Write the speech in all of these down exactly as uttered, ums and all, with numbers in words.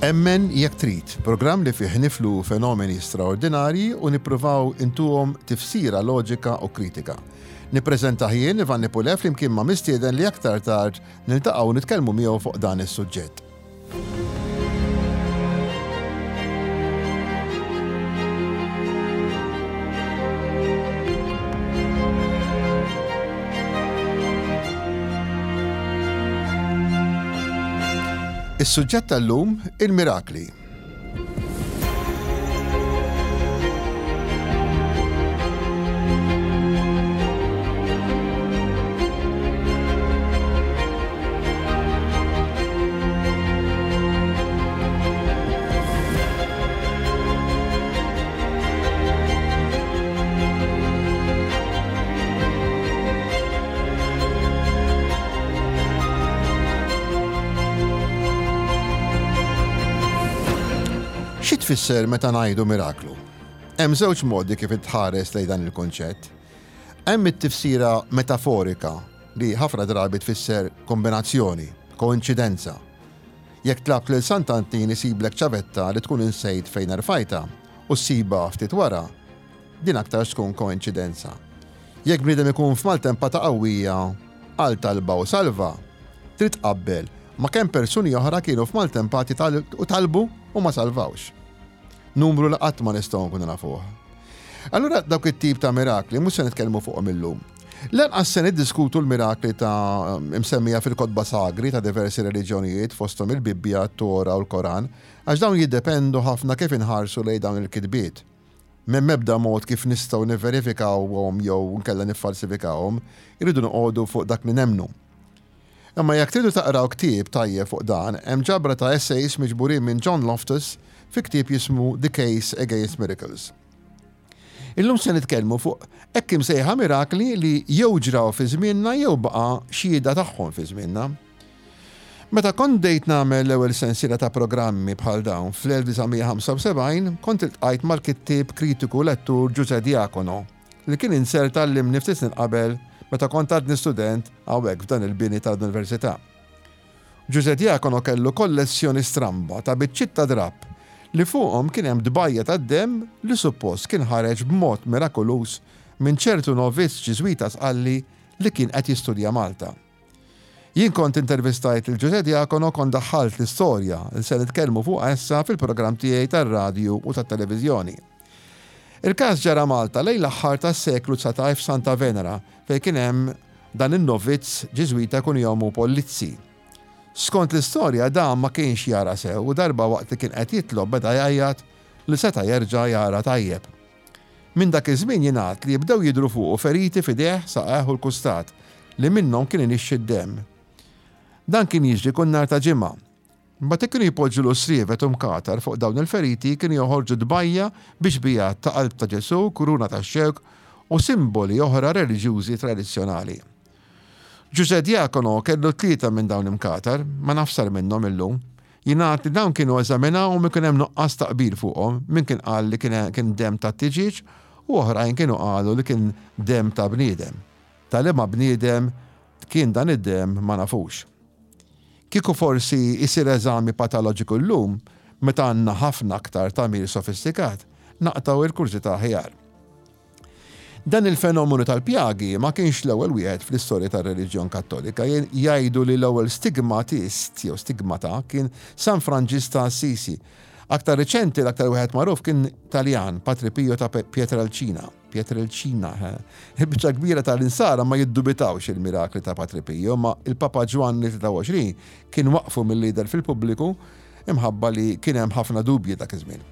Emmen jekk trid, programm li fih niflu fenomeni straordinarji u nippruvaw intuhom tifsira loġika u kritika. Nippreżentah jien Ivan Nipulef flimkien ma' mistieden li aktar tard niltaqgħu nitkellmu miegħu fuq dan is-suġġett. Is-suġġett tal-lum il-mirakli. Xi tfisser meta ngħidu miraklu? Hemm żewġ modi kif tħares lejn dan il-kunċett. Hemm it-tifsira metaforika li ħafna drabi tfisser kombinazzjoni, koinċidenza. Jekk tlabt lil Sant'Antin isiblek ċavetta li tkun insejt fejn erfajta u ssiba ftit wara, din aktar tkun koinċidenza. Jekk bniedem ikun f'maltempata qawwija għal talba u salva, trid tqabbel ma' kemm persuni oħra kienu f'maltempati u talbu u ma salvawx. Numru li qatt ma nistgħu nkunu nafuh. Allura dawk it-tip ta' mirakli mhux se nitkellmu fuqhom illum. Lanqas se niddiskutu l-mirakli ta' msemmija fil-kotba sagri ta' diversi reliġjonijiet fosthom il-Bibbja, t-Tora u l-Koran, għax dawn jiddependu ħafna kif inħarsu lejn dawn il-kitbiet. M'hemm ebda mod kif nistgħu nivverifikawhom jew nkella niffalsifikawhom, irridu noqogħdu fuq dak li nemmnu. Imma jekk tridu taqraw ktieb tajjeb fuq dan, hemm ġabra ta' essays miġburin minn John Loftus fi ktieb jismu The Case Against Miracles. Illum se nitkellmu fuq hekk imsejħa mirakli li jew ġraw fi żmienna jew baqa' xhieda tagħhom fi żmienna. Meta kont bdejt nagħmel l-ewwel sensiela ta' programmi bħal dawn fl-elf disa' mija ħamsa u sebgħin, kont iltqajt mal-kittieb kritiku lettur Ġuże Diacono li kien inserta għallimni ftit snin qabel meta kont għadni student hawnhekk f'dan il-bini tal-università. Ġuże Diacono kellu kollezzjoni stramba ta' biċċiet ta' drapp li fuqhom kien hemm dbajja tad-demm li suppost kien ħareġ b'mod mirakoluż minn ċertu novizz Ġiżwita Sqalli li kien qed jistudja Malta. Jien kont intervistajt lil Ġuże Diacono, kont daħħalt l-istorja li se nitkellmu fuqha issa fil-programm tiegħi tar-radju u tat-televiżjoni. Il-każ ġara Malta lejn l-aħħar tas-seklu dsatax f'Santa Venera fejn kien hemm dan in-novizz Ġiżwita kun jomu Pollizzi. Skont l-istorja dan ma kienx jara sew u darba waqt li kien qed jitlob beda jgħajjat li seta' jerġa' jara tajjeb. Minn dak iż-żmien jingħad li jibdew jidhru fuqu feriti f'idejh, saqajh u l-kustat li minnhom kien inixxi d-demm. Dan kien jiġri kull nhar ta' ġimgħa. Mbagħad kienu jpoġġu l srievet u mkatar fuq dawn il-feriti kienu joħorġu dbajja biex bijat ta' qalb ta' Ġesù, kuruna ta' xewk u simboli oħra reliġjużi tradizzjonali. Ġuże Diacono kellu tlieta minn dawn imkatar, ma nafsar minnhom illum. Jingħad li dawn kienu eżaminawhom u kien hemm nuqqas ta' qbil fuqhom, min kien qal li kien, kien demm ta' tiġieġ u oħrajn kienu qalu li kien demm ta' bniedem. Ta' liema bniedem kien dan id-demm ma nafux. Kieku forsi jsir eżami patoloġiku llum, meta għandna ħafna aktar tagħmir sofistikat, naqtaw il-kurżità aħjar. Dan il-fenomenu tal-pjagi ma kienx l-ewwel wieħed fl-istorja tar-reliġjon Kattolika. Jgħidu li l-ewwel stigmatist jew stigmata kien San Franġis ta' Assisi. Aktar riċenti l-aktar wieħed magħruf kien Taljan, Patri Pio ta' Pietrelcina. Pietrelcina, eh. Il-biċċa kbira tal-insara ma jiddubitawx il-mirakli ta' Patri Pio, ma il-Papa Ġwanni tlieta u għoxrin kien waqfu mill-lider fil-pubbliku imħabba li kien hemm ħafna dubji dak iż-żmien.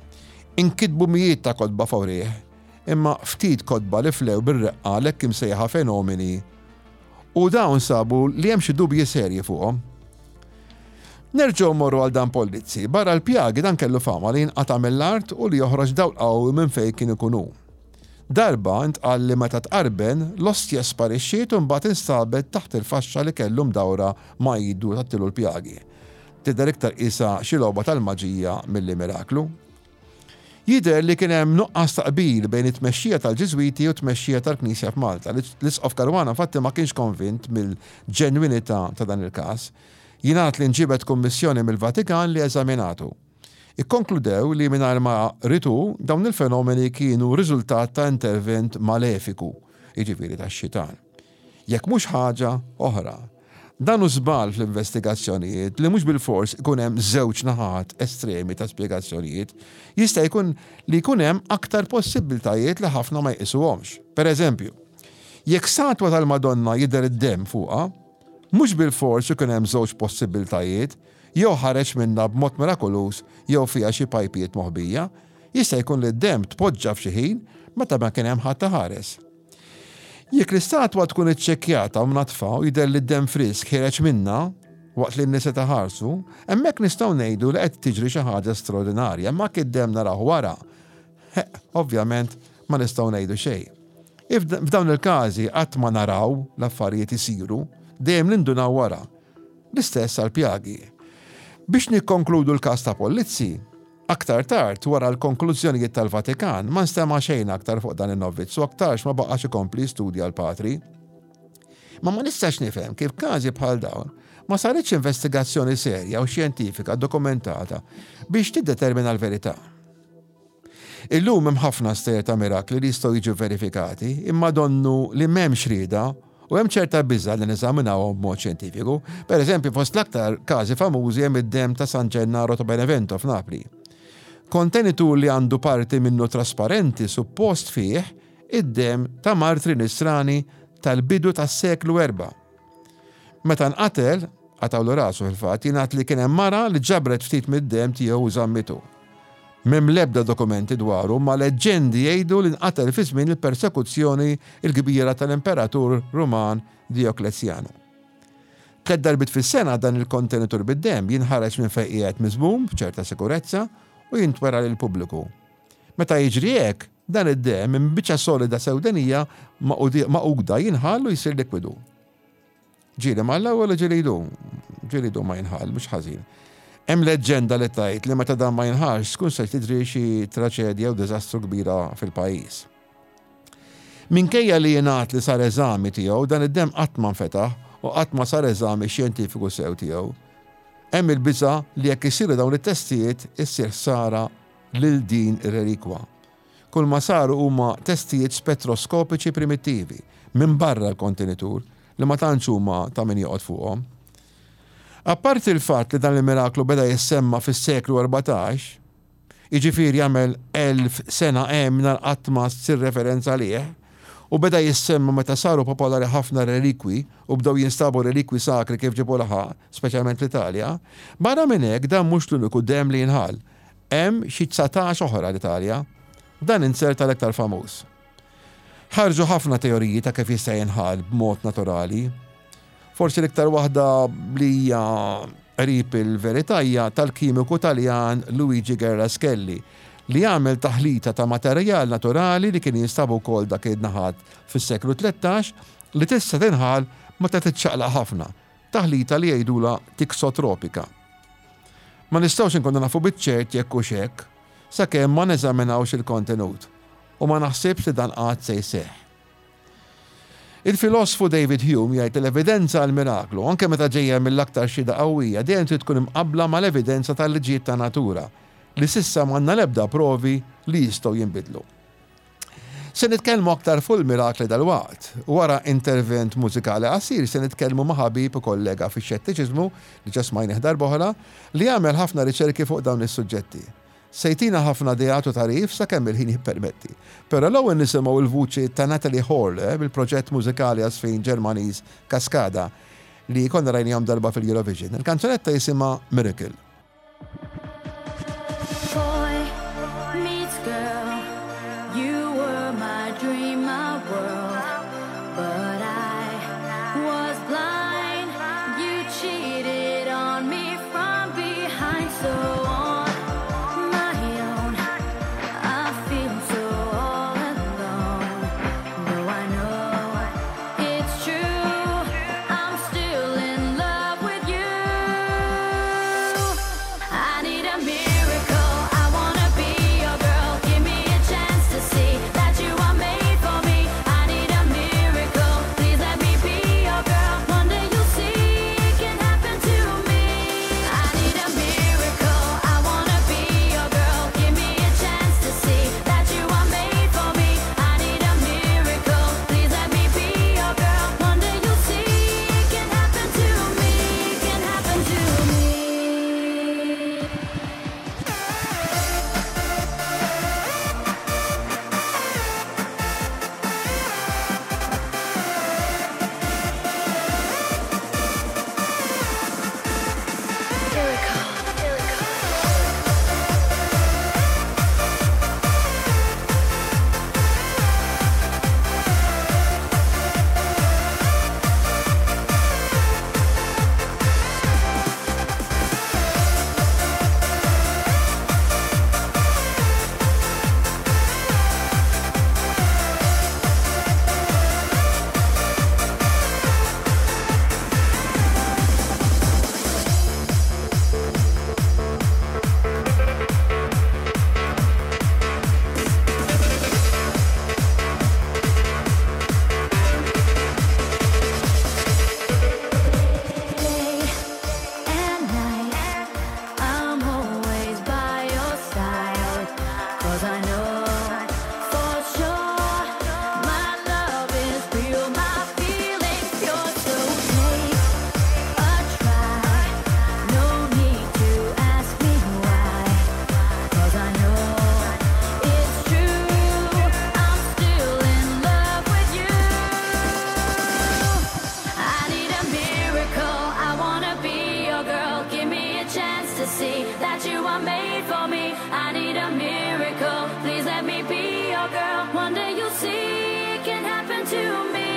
Inkitbu mijiet ta' kotba fawrih, imma ftit kotba li flew bir-reqqa l-hekk imsejħa fenomeni u dawn sabu li hemm xi dubji serji fuqhom. Nerġgħu mmorru għal dan Polizzi. Barra l-pjagi, dan kellu fama li jinqata' mill-art u li joħroġ dawl qawwi minn fejn kien ikun hu. Darba ntqal li meta tqarben, l-ostja sparixxiet u mbagħad instabet taħt il-faxxa li kellu mdawra ma' idu tgħattilu l-pjagi. Tidher iktar qisha xi logħba tal-maġija milli miraklu. Jidher li kien hemm nuqqas ta' qbil bejn it-tmexxija tal-Ġiżwiti u t-tmexxija tal-Knisja f'Malta. L-Isqof Caruana infatti ma kienx konvint mill-ġenwinità ta' dan il-każ. Jingħad li nġibet kummissjoni mill-Vatikan li eżaminatu. Ikkonkludew li mingħajr ma ried hu, dawn il-fenomeni kienu riżultat ta' intervent malefiku, jiġifieri tax-xitan. Jekk mhux ħaġa oħra. Dan hu żball fl-investigazzjonijiet li mhux bilfors ikun hemm żewġ naħat estremi ta' spjegazzjonijiet. Jista' jkun li jkun hemm aktar possibbiltajiet li ħafna ma jqisuhomx. Per eżempju, jekk statwa tal-Madonna jidher id-demm fuqha, mhux bilfors ikun hemm żewġ possibbiltajiet, jew ħareġ minnha b'mod mirakoluż jew fiha xi pajpijiet moħbija. Jista' jkun li d-demm tpoġġa f'xi ħin meta ma kien hemm ħadd iħares. Jekk l-istatwa tkun iċċekkjata u mnaddfa u jidher li d-demm frisk ħiereġ minnha waqt li n-nies qed iħarsu, hemmhekk nistgħu ngħidu li qed tiġri xi ħaġa straordinarja, imma jekk id-demm narawh wara, ovvjament ma nistgħu ngħidu xejn. F'dawn il-każi qatt ma naraw l-affarijiet isiru, dejjem nindunaw wara. L-istess għall-pjagi. Biex nikkonkludu l-każ ta' Polizzi, aktar tard, wara l-konklużjonijiet tal-Vatikan, ma nstema' xejn aktar fuq dan in-novizz u aktarx ma baqax ikompli jistudja l-patri. Ma ma nistax nifhem kif każi bħal dawn ma saritx investigazzjoni serja u xjentifika dokumentata biex tiddetermina l-verità. Illum hemm ħafna stejjer ta' mirakli li jistgħu jiġu verifikati, imma donnu li m'hemmx rieda u hemm ċerta biża' li neżaminawhom b'mod xjentifiku. Per eżempju, fost l-aktar każi famużi hemm id-demm ta' San Gennaro ta' Benevento f'Napli. Kontenitur li għandu parti minnu trasparenti suppost fih id-demm ta' martri nisrani tal-bidu tas-seklu erba'. Meta nqatel, qatawlu rasu fil-fatt, jingħad li kien hemm mara li ġabret ftit mid-demm tiegħu u żammitu. M'hemm l-ebda dokumenti dwaru, ma leġġendi jgħidu li nqatel fi żmien il-persekuzzjoni l-kbira tal-Imperatur Ruman Dioklezjanu. Tliet darbiet fis-sena dan il-kontenitur bid-demm jinħareġ minn fejn qiegħed miżmum b'ċerta sikurezza u jintwera lill-pubbliku. Meta jiġri hekk, dan id-demm minn biċċa solida sewdenija maquda jinħall u jsir likwidu. Ġieli mal-ewwel u ġieli jdum, ġieli jdum ma jinħall, mhux ħażin. Hemm leġġenda li tgħid li meta dan ma jinħallx tkun se tidri xi traċedja u diżastru kbira fil-pajjiż. Minkejja li jingħad li sar eżami tiegħu, dan id-demm qatt ma nfetaħ u qatt ma sar eżami xjentifiku sew tiegħu. Hemm il-biża' li jekk isiru dawn it-testijiet issir ħsara lil din ir-relikwa. Kull ma saru huma testijiet spettroskopiċi primittivi minn barra l-kontenitur li ma tantx huma ta' min joqgħod fuqhom. Apparti il-fatt li dan il-miraklu beda jissemma fis-seklu erbatax, jiġifieri jagħmel elf sena hemm nhar qatt ma ssir referenza għalih, u beda jissemma meta saru popolari ħafna relikwi u bdew jinstabu relikwi sakri kif ġibu laħaq, speċjalment l-Italja, barra minn hekk dan mhux l-uniku demm li jinħall. Hemm xi dsatax oħra l-Italja. Dan inserta l-iktar famuż. Ħarġu ħafna teoriji ta' kif jista' jinħall b'mod naturali. Forsi l-iktar waħda li hija qrib il-verità hija tal-kimiku Taljan Luigi Garlaschelli li għamel taħlita ta' materjal naturali li kien jinstabu wkoll dak id-naħat fis-seklu tlettax li tista' tinħall meta tiċċaqlaq ħafna, taħlita li jgħidulha tiksotropika. Ma nistgħux inkunu nafu biċ-ċert jekk hux hekk, sakemm ma neżaminawx il-kontenut u ma naħsibx li dan qatt se jseħħ. Il-filosfu David Hume jgħid li l-evidenza għal miraklu, anke meta ġejja mill-aktar xhieda qawwija, dejjem trid tkun imqabbla mal-evidenza tal-liġijiet ta' natura, li s'issa m'għandna l-ebda provi li jistgħu jinbidlu. Se nitkellmu aktar fuq il-mirakli dal-waqt. Wara intervent mużikali qasir se nitkellmu ma' ħabib u kollega fix-xettiċiżmu li ġa smajnih darb'oħra li jagħmel ħafna riċerki fuq dawn is-suġġetti. Sejtina ħafna ideat u tagħrif sakemm il-ħin jippermetti. Però l-ewwel nisimgħu l-vuċi ta' Natalie Horle bil-proġett mużikali għasfin Ġermaniż Cascada li konna rajnihom darba fil-Eurovision. Il-kanzunetta jisimha Miracle. Boy meets girl, you were my dream, my world, but I was blind. You cheated on me from so on my own. I feel so all alone. Though I know it's true, I'm still in love with you. I need a miracle. I wanna be your girl. Give me a chance to see that you are made for me. I need a miracle. Please let me be your girl. One day you'll see it can happen to me. I need a miracle. I wanna be your girl. Give me a chance to see that you are made for me. I need a miracle. Please let me be your girl. One day you'll see it can happen to me. It can happen to me. Day and night, I'm always by your side. 'Cause I know for sure my love is real, my feelings pure. So take a try, no need to ask me why. 'Cause I know it's true, I'm still in love with you. I need a miracle. I wanna be your girl. Give me a chance to see that you are made for me. I need a miracle. Please let me be your girl. One day you'll see it can happen to me.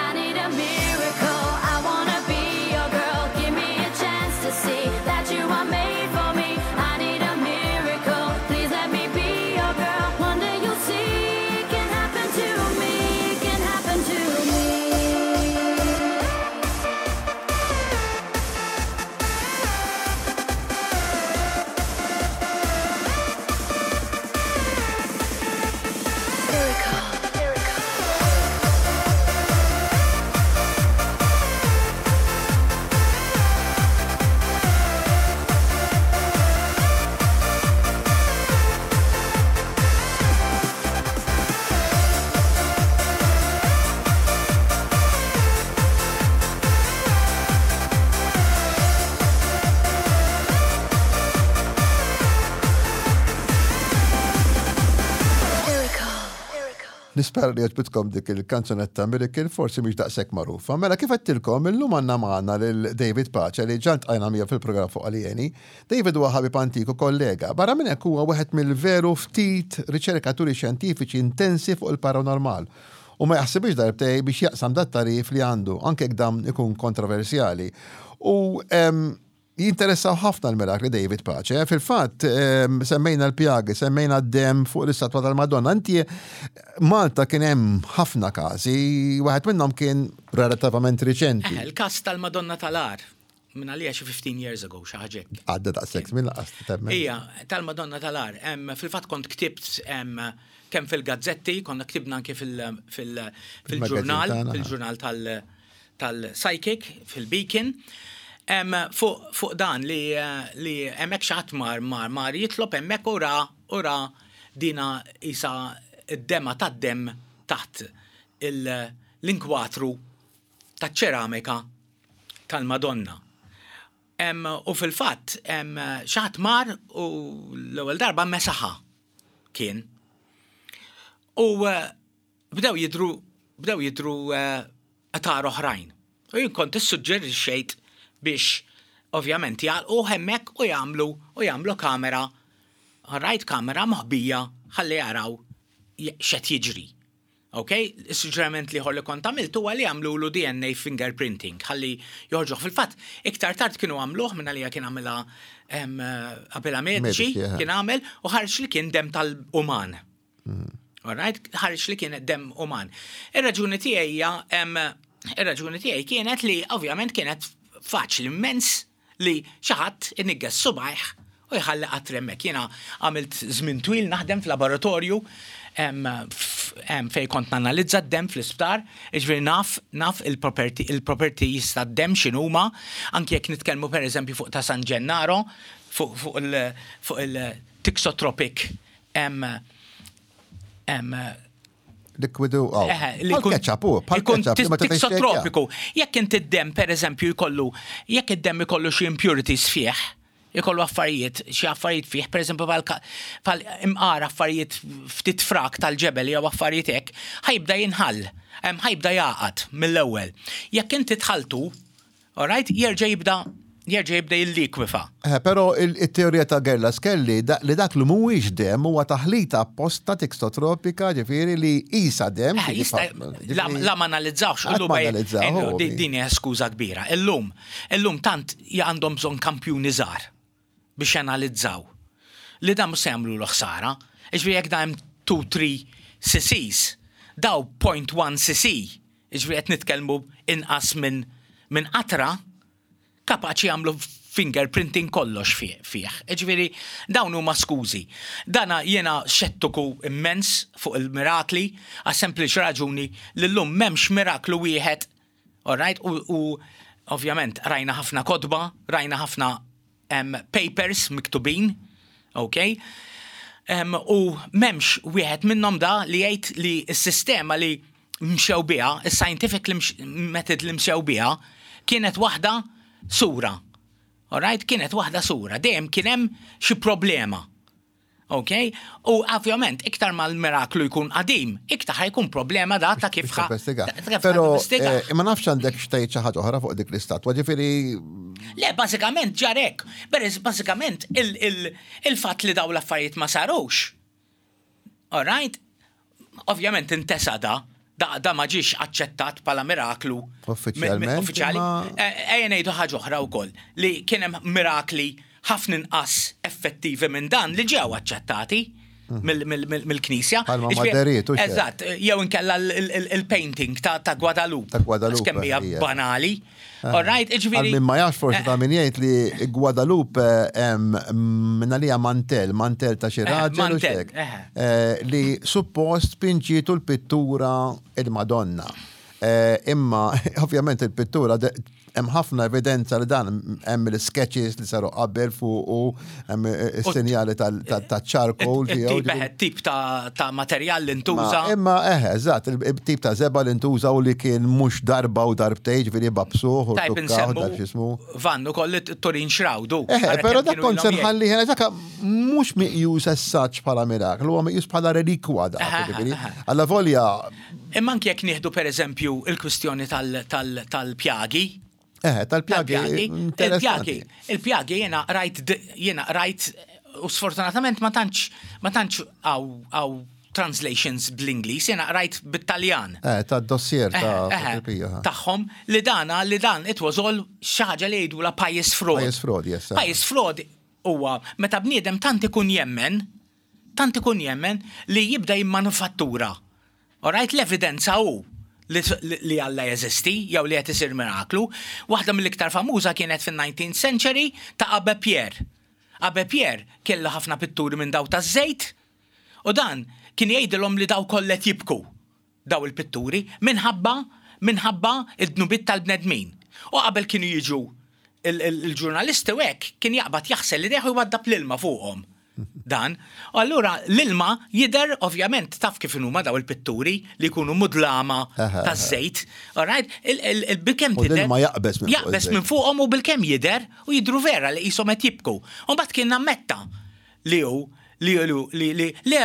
I need a miracle. I wanna be your girl. Give me a chance to see that you are made for me. I need a miracle. Please let me be your girl. One day you'll see it can happen to me. It can happen to me. Nispera li għoġbitkom dik il-kanzunetta Miracle, forsi mhix daqshekk magħrufa. Mela kif għedtilkom, illum għandna magħna lil David Pace li ġa ltqajna miegħu fil-programm fuq Aljeni. David huwa ħabib antiku kollega. Barra minn hekk huwa wieħed mill-veru ftit riċerkaturi xjentifiċi intensi fuq il-paranormal. U ma jaħsibx darbtejn biex jaqsam dat-tagħrif li għandu, anke jekk dan ikun kontroversjali. U em, jinteressaw ħafna l-mirakli David Pace. Fil-fatt, em, semmejna l-pjagi, semmejna d-dem fuq l-istatwa tal-Madonna. Inti Malta kien hemm ħafna każi, wieħed minnhom kien relativament riċenti. Eh, il-kas tal-Madonna tal-Għar, minn għalija xi fifteen years ago, xi ħaġa hekk. Għadda daqshekk minn laqas temmen. Ija, tal-Madonna tal-Għar. Em, Fil-fatt kont ktibt em, kemm fil-gazzetti, konna ktibna anke fil- fil- fil-ġurnal, tagħna. Fil-ġurnal tal- tal-Psychic, fil-Beacon. Em, Fuq fuq dan li eh, li hemmhekk xi ħadd mar mar mar jitlob hemmhekk u ra u ra dina isa id-dema tad-dem taħt il- l-inkwatru taċ-ċeramika tal-Madonna. Em, u fil-fatt, em, xi ħadd mar u l-ewwel darba mesaħa kien. U eh, bdew jidru bdew jidru eh, atar oħrajn. U jien kont issuġġerixxejt biex ovvjament jagħlqu hemmhekk u jagħmlu u jagħmlu kamera, rajt kamera moħbija ħalli jaraw j- x'qed jiġri. Ok, il-suġġeriment l-ieħor li kont għamilt huwa li għamlu D N A fingerprinting, ħalli joħorġuh. Fil-fatt, iktar tard kienu għamluh minna li kien għamilha għamilha mediċi, Mediċi, eh. kien għamel u ħareġ li kien dem tal-uman. Alright, ħareġ li kien dem uman. Ir-raġuni tiegħi hija em, ir-raġuni tiegħi kienet li ovvjament kienet faċli immens li xi ħadd inigges subgħajh u jħalli qatra hemmhekk. Jiena għamilt żmien twil naħdem f'laboratorju em, f- em, fej kont nanalizza d-dem fl-isptar, ġifieri naf, naf il-property, il-properties tad-dem x'inhuma, anki jekk nitkellmu per eżempju fuq ta' San Gennaro, fuq fuq il- fuq il-thixotropic em, em, Likwidu, oh. Eħe, li Bħal jkun- ketchup, u, bħal ikun ketchup, li ma tista' thixotropiku. Jekk inti d-dem, per eżempju, jkollu, jekk id-dem ikollu xi impurities fih, ikollu affarijiet, xi affarijiet fih, per eżempju, bħal ka- bħal imqar affarijiet ftit frak tal-ġebel jew affarijiet hekk, ħa jibda jinħall, em, ħa jibda jagħqad mill-ewwel. Jekk inti tħaltu, alright, jerġa' jibda jerġa' jibda jillikwifa. Eh, Pero il-teorija ta' Garlaschelli da- li dak li mhuwiex dem huwa taħlita apposta thixotropika, ġifieri li isa dem. Eh, jista' la ġifieri- la ma analizzawx, Qatt illum ma ej- analizzaw, eh, di- ovvi. din hija skuża kbira. Illum, illum tant għandhom bżonn kampjuni żgħar biex janalizzaw. Li dan mhux se jagħmlu l ħsara. Iġifieri jekk da hemm two three C Cs, daw zero punt wieħed C C, iġifieri qed nitkellmu inqas minn min qatra, kapaċi jagħmlu fingerprinting kollox fih. fih. Ġifieri dawn huma skużi. Dana jiena xettiku immens fuq il-mirakli, għas sempliċi raġuni li llum m'hemmx miraklu wieħed, alright, u, u ovvjament rajna ħafna kotba, rajna ħafna um, papers miktubin, ok? Um, u m'hemmx wieħed minnhom da li jgħid li s-sistema li mxew biha, is-scientific li mx- method li mxew biha, kienet waħda sura. Alright, kienet waħda sura. Dejjem kien hemm xi problema. Ok? U ovvjament, iktar ma l-miraklu jkun qadim, iktar ħa jkun problema da ta' kif ħa. Investiga. ta' kif ħa Pero tinvestiga. eh, ma nafx għandek xtejt xi ħaġa oħra fuq dik l-istatwa, ġifieri Le, bażikament ġarek. Beres, bażikament il-fatt li daw l-affarijiet ma sarux. Alright? Ovvjament intesa da, da, da ma ġiex aċċettat bħala miraklu. Uffiċjalment, Mi- mi- Uffiċjali. imma- Eh, Ejja ngħidu ħaġa oħra wkoll li kien hemm mirakli ħafna inqas effettivi minn dan li ġew aċċettati mill- mill- mill- mill-Knisja. Bħalma Jiġifieri- Maderiet, u xek. Eżatt, jew inkella il-painting ta' ta' Guadalupe. Ta' Guadalupe, Kemm hija hija. banali. All right, ġifieri. Għal min ma jafx, forsi ta' min jgħid li Guadalupe hemm minna li mantel, mantel ta' xi Eh, raġel u mantel, xek. eh. Eh, Li suppost pinġitu l-pittura il-Madonna. Eh, Imma ovvjament il-pittura de- hemm ħafna evidenza li dan hemm il-sketches li saru qabel fuq u hemm is-sinjali tal-charcoal tiegħu. Tip eh, tip ta' ta' materjal li ntuża. Ma- Imma eħe, eżatt, il-tip ta' żebgħa li ntuża u li kien mhux darba u darbtejn, ġifieri babsuh u Tajb tukkaw insemmu dak x'ismu. Vannu koll Turin Shroud. Eħe, pero dak kont se nħalli ħena, dak mhux meqjus as such bħala miraklu, huwa meqjus bħala relikwa dak, Aha, ġifieri. aha. Alla volja, Imma anke jekk nieħdu per eżempju il-kwistjoni tal- tal- tal-pjagi, eħe, tal-pjagi, tal-pjagi, interessanti. il-pjagi, il-pjagi jiena rajt, d- jiena rajt, u sfortunatament ma tantx, ma tantx hawn hawn translations bl-Ingliż, jiena rajt bit-Taljan. Eh, ta' dossier ta' Eh, eh, Pio, ha. Tagħhom li dana li dan it was all xi ħaġa li jgħidu la pious fraud. Pious fraud, yes. Pious fraud huwa meta bniedem tant ikun jemmen, tant ikun jemmen li jibda jimmanufattura. Alright, l-evidenza hu li, li li Alla jeżisti jew li qed isir miraklu. Waħda mill-iktar famuża kienet fin-nineteenth century ta' Abbé Pierre. Abbé Pierre kellu ħafna pitturi minn daw taż-żejt u dan kien jgħidilhom li daw kollet jibku daw il-pitturi minħabba minħabba id-dnubiet tal-bnedmin. U qabel kienu jiġu il- il- il-ġurnalisti u hekk kien jaqbad jaħsel li deħu jwaddab l-ilma fuqhom. Dan. U allura l-ilma jidher, ovvjament taf kif huma daw il-pitturi li jkunu mudlama Aha, taż-żejt. Alright, il-bilkemm U tidher. l-ilma jaqbeż minn fuq Jaqbeż iż-żejt. minn fuqhom u bilkemm jidher u jidru vera li qishom qed jibku. U mbagħad kien ammetta li hu li li li li li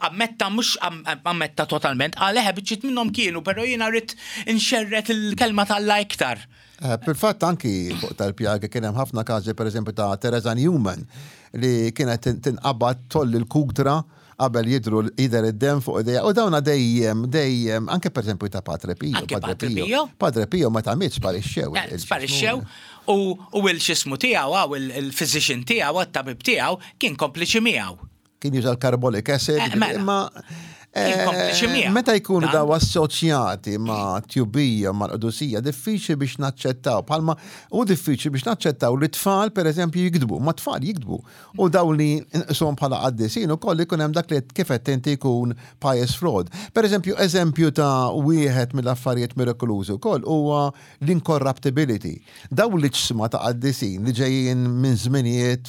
ammetta, mhux am- ammetta totalment, għal eħe biċċiet minnhom kienu, però jiena rrid inxerret il-kelma tal-la iktar. Eh, Fil-fatt anki fuq tal-pjagi kien hemm ħafna każi, pereżempju ta' Teresa Newman, li kienet tinqabad tgħolli l-kutra qabel jidru jidher id-dem fuq idejha. U dawna dejjem, dejjem, anke per eżempju ta' Padre Pio. Anke Padre Pio. Padre Pio meta miet sparixxew. Eh, sparixxew u u il-xismu tiegħu għaw il-physician tiegħu, għat-tabib tiegħu kien kompliċi miegħu. Kien juża l-carbolic acid, eh, mela. Imma Kien kompliċi miegħu. Meta jkunu Dan. daw assoċjati ma' tjubija, ma' qdusija, diffiċli biex naċċettaw. Palma u diffiċli biex naċċettaw li tfal, per eżempju, jikdbu. Ma tfal jikdbu. U daw li nqishom bħala qaddisin u koll ikun hemm dak li kif qed inti jkun pious fraud. Per eżempju, eżempju ta' wieħed mill-affarijiet mirakolużi wkoll huwa l-incorruptibility. Daw l-iġsma ta' qaddisin li ġejjin minn żminijiet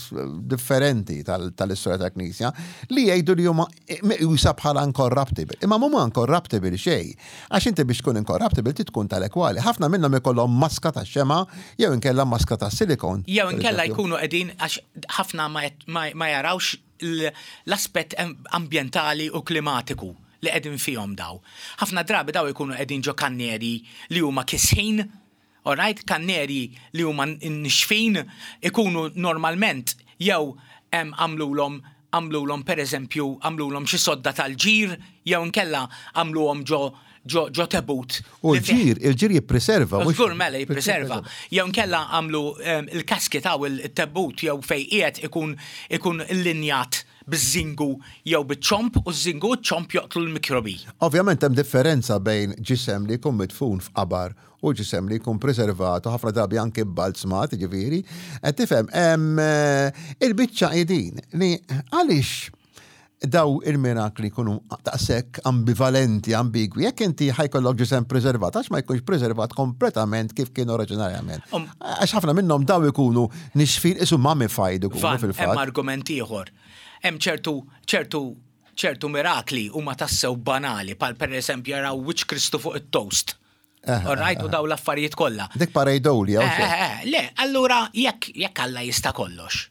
differenti tal- tal-istorja tal-Knisja li jgħidu li huma meqjusa bħala incorruptible. Imma mhuma incorruptible xejn. Għax inti biex tkun incorruptible ti tkun tal-ekwali. Ħafna minnhom ikollhom maska ta' xema jew inkella maska ta' silikon. Jew inkella per eżempju. Jkunu qegħdin, għax ħafna ma, ma, ma jarawx l- l-aspett am- ambjentali u klimatiku li qegħdin fihom daw. Ħafna drabi daw jkunu qegħdin ġo kanneri li huma kisħin, alright, kanneri li huma nixfin, ikunu normalment jew em, għamlulhom għamlulhom per eżempju għamlulhom xi sodda tal-ġir jew inkella għamluhom ġo ġo ġo tebut. U li fih- l-ġir, il-ġir jippreserva. mhux- Żgur mela jippreserva. Jew nkella għamlu em, il-casket għaw il-tebut jew fej qiegħed ikun ikun illinjat biż-żingu jew biċ-ċomp u ż-żingu u ċ-ċomp joqtlu l-mikrobi. Ovvjament hemm differenza bejn ġisem li jkun midfun f'qabar u ġisem li jkun preservat u ħafna drabi anke balzmat, ġifieri. Qed tifhem, hemm eh, il-biċċa qegħdin li għaliex daw il-mirakli jkunu daqshekk ambivalenti, ambigwi. Jekk inti ħa jkollok ġisem preservat, għax ma jkunx preservat kompletament kif kien oriġinarjament? Um, Għax ħafna minnhom daw ikunu nixfin isu mummified ikunu Van, hemm fil-fatt. argument ieħor. Hemm ċertu ċertu ċertu mirakli huma tassew banali, pal per eżempju jaraw wiċċ Kristu fuq it-toast. All right, u daw l-affarijiet kollha. Dik pareidolia. Eh, eh, eh, Le, allura jekk jekk Alla jista' kollox.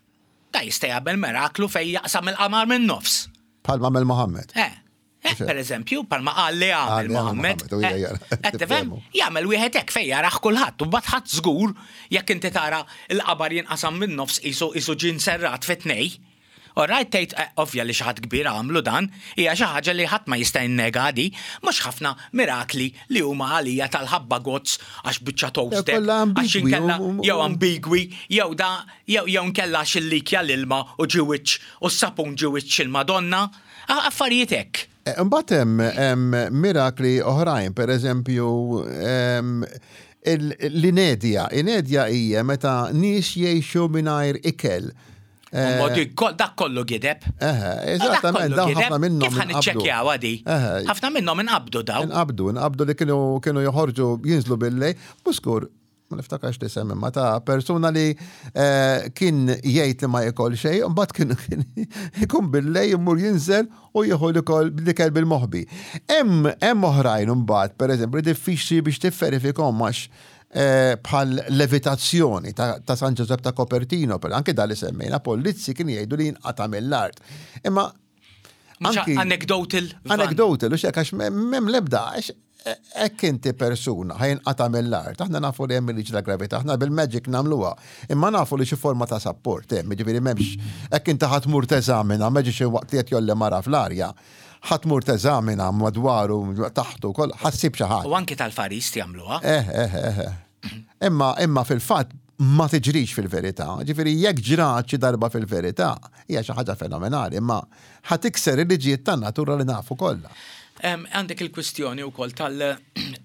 Da jista' jagħmel miraklu fejn jaqsam il-qamar minn nofs. Palma mel Mohammed. Eh, eh, per eżempju, palma qal li Qal għamel li għamel Mohammed. Mohammed, u hija Eh, jara- qed tifhem? tifhemu. Jagħmel wieħed hekk fejn jaraħ kulħadd u mbagħad ħadd żgur jekk inti tara l-qabar jinqasam minn nofs isu isu ġin serrat fi tnej. Alright, tgħid eh, ovvja li xi ħadd kbir għamlu dan, hija xi ħaġa li ħadd ma jista' jinnega di, mhux ħafna mirakli li huma għalija tal-ħabba gozz għax biċċa toasted, kollha għax ambigwi, inkella u- u- jew ambigwi, jew da jew jew nkella xillikja l-ilma u ġi wiċċ u s-sapun ġi wiċċ il-Madonna, A- affarijiet hekk. Eh, Imbagħad hemm hemm mirakli oħrajn, per eżempju, em, il- l-inedja. Inedja hija meta nies jgħixu mingħajr ikel. U modi dak kollu gideb. Eħe, eżattament, dawn ħafna minnhom Kif ħan inqabdu. iċċekkjaw għadi? Eħe. Ħafna minnhom inqabdu daw. Inqabdu, inqabdu li kienu kienu joħorġu jinżlu billejl, muskur, ma niftakarx li semmi, ma ta' persuna li eh, kien jgħid li ma jekol xejn, u mbagħad kien kien ikun billejl imur jinżel u jieħu l-ikel l-ikel bil-moħbi. Hemm hemm oħrajn imbagħad, pereżempju, diffiċli biex tifferifikhom għax eh, bħal levitazzjoni ta', ta' San Giuseppe ta' Copertino, per anke dal li semmejna, Polizzi kien jgħidu li jinqata' mill-art. Imma Mhux anki- anecdotal. Van. Anecdotal, u xek, għax m'hemm lebda, għax hekk inti persuna ħa jinqata' mill-art, aħna nafu li hemm il-liġi ta' gravità, aħna bil-magic nagħmluha, imma nafu li xi forma ta' support hemm, jiġifieri m'hemmx hekk inti ħa tmur teżamina, ma xi waqt li qed jgħolli mara fl-arja, ħa tmur teżamina madwaru, taħtu, koll, ħa ssib xi ħadd. U anki tal-farist jagħmluha. Eh, eh, eh, eh. Imma, imma fil-fatt ma tiġrix fil-verità. Ġifieri jekk ġrat xi darba fil-verità, hija xi ħaġa fenomenali, imma ħa tikser il-liġijiet tan-natura li nafu kollha. Em, Għandek il-kwistjoni wkoll tal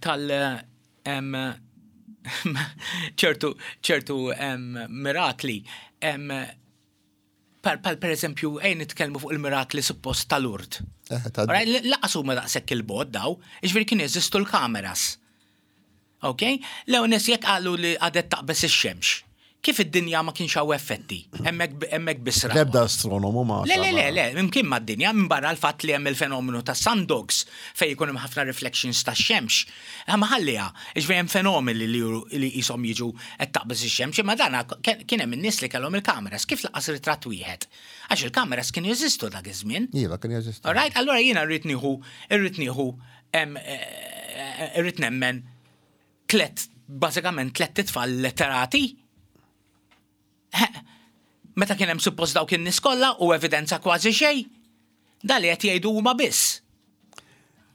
tal em, ċertu ċertu em, mirakli em, par, par per eżempju, ejn nitkellmu fuq il-mirakli suppost tal-Lourdes. Eh, ta' Alright, Laqas huma daqshekk il-bogħod daw, jiġifieri kien jeżistu l-kameras. Ok? Lew nies jekk qalu li għadet taqbes ix-xemx. Kif id-dinja ma kienx hawn effetti? Hemmhekk hemmhekk biss rawha. L-ebda astronomu ma. Le, le, le, le, imkien ma d-dinja, minn barra l-fatt li hemm il-fenomenu ta' sundogs fej jkun hemm ħafna reflections ta' xemx. Ma ħalliha, iġveri hemm fenomeni li juru- li jisom jiġu qed taqbeż ix-xemx, imma dana kien hemm in-nies li kellhom il-kameras, kif laqas ritratt wieħed? Għax il-kameras kienu jeżistu dak iż-żmien. Iva, kien jeżistu. All right, allora jiena rrid nieħu, irrid nieħu, em, eh, irrid nemmen tlet, bażikament tlet titfal letterati. Meta kien hemm suppost dawk in-nies kollha u evidenza kważi xejn. Da li qed jgħidu huma biss.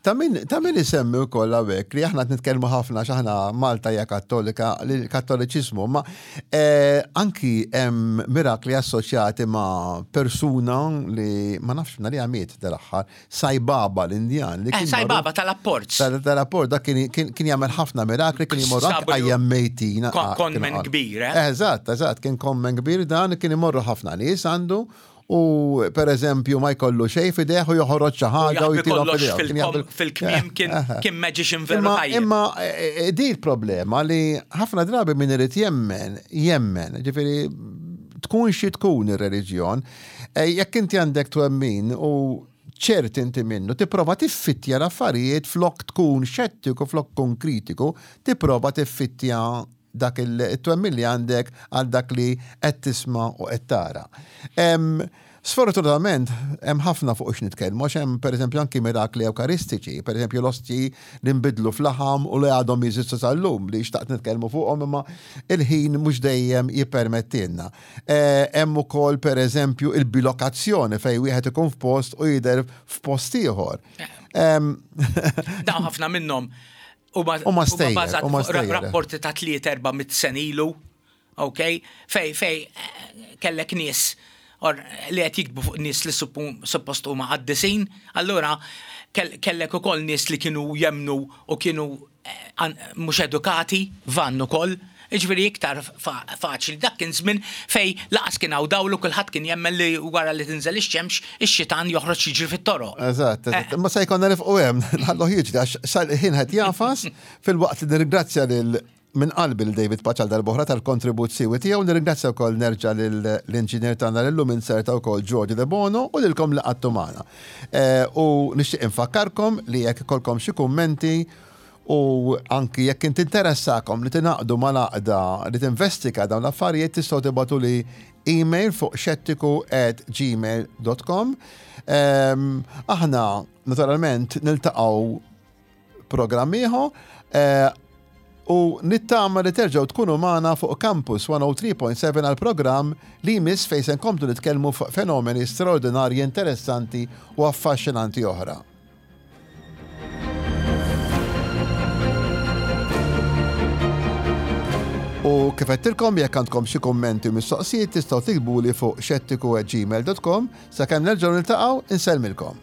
Ta' min, ta' min isemmi wkoll hawnhekk li aħna qed nitkellmu ħafna għax aħna Malta hija Kattolika, l-Kattoliċiżmu, ma eh, anki hemm mirakli assoċjati ma' persuna li ma nafx li għamiet dal-aħħar, Sai Baba l-Indjan. Li Eh, kien Sai magħruf- Baba tal-apports. Tal- Tal-apport, dak kien kien kien jagħmel ħafna mirakli, kien imorru anke Sabu li- qajjem mejtin. Kon- ah, conman kien qal. kbir, eh? Eżatt, eżatt, kien conman kbir dan, kien imorru ħafna nies għandu u per eżempju ma jkollu xejn f'idejh u joħroġ xi ħaġa u Jaħbi jtilhom kollox f'idejh. Kien fil-kom- jaħbi- fil-kmiem kien kien magician veru Imma, tajjeb. imma eh, eh, di l-problema li ħafna drabi min irid jemmen, jemmen, ġifieri tkun xi tkun ir-reliġjon, eh, jekk inti għandek twemmin u ċert inti minnu, tipprova tiffittja l-affarijiet flok tkun xettiku, flok tkun kritiku, tipprova tiffittja dak il-twemmin li għandek għal dak li qed tisma' u qed tara. Em, Sfortunatament, hemm ħafna fuq x'nitkellmu, għax hemm pereżempju anki mirakli ewkaristiċi, pereżempju l-ostji li nbidlu f'laħam u li għadhom jeżistu sal-lum li xtaqt nitkellmu fuqhom imma il-ħin mhux dejjem jippermettilna. Eh, Hemm ukoll pereżempju il-bilokazzjoni fejn wieħed ikun f'post u jidher f'post ieħor. Em, Dawn ħafna minnhom huma Huma stejjer, bażati huma fuq ra- stejjer. rapporti ta' tliet erba' mit sena ilu, ok? Fej fej eh, kellek nies or li qed jiktbu fuq nies li suppu- suppost huma qaddisin, allura kell- kellek ukoll nies li kienu jemnu u kienu eh, an- mhux edukati, vann ukoll. Ġifieri iktar fa- faċli, dak kien żmien fej laqas kien hawn dawlu kulħadd kien jemmen li wara li tinżel ix-xemx ix-xitan joħroġ jiġri fit-toroq. Eżatt, eżatt. Ma se jkollna nifqu hemm, nħallu jiġri għax sal-ħin qed jafas filwaqt li nirringrazzja lil minn qalbi lil David Pace għal darb'oħra tal-kontribut siewi tiegħu, nirringrazzja wkoll nerġa' lill-inġinier tagħna lillum inserta wkoll Giorgio De Bono u lilkom li qgħadtu magħna. Eh, U nixtieq infakkarkom li jekk ikollkom xi kummenti u anki jekk inti interessakom li tingħaqdu mal-għaqda li tinvestiga dawn l-affarijiet tistgħu tibagħtu li email fuq xettiku at gmail dot com. Ehm, aħna naturalment niltaqgħu programm ieħor eh, u nittama li terġgħu tkunu magħna fuq Campus mija u tlieta punt seba għal programm li jmiss fejn se nkomplu nitkellmu fuq fenomeni straordinarji, interessanti u affaxxinanti oħra. U kif għedtilkom, jekk għandkom xi kummenti u mistoqsijiet tistgħu tiktbuli fuq xettiku at gmail dot com. Sakemm nerġgħu niltaqgħu, insellmilkom.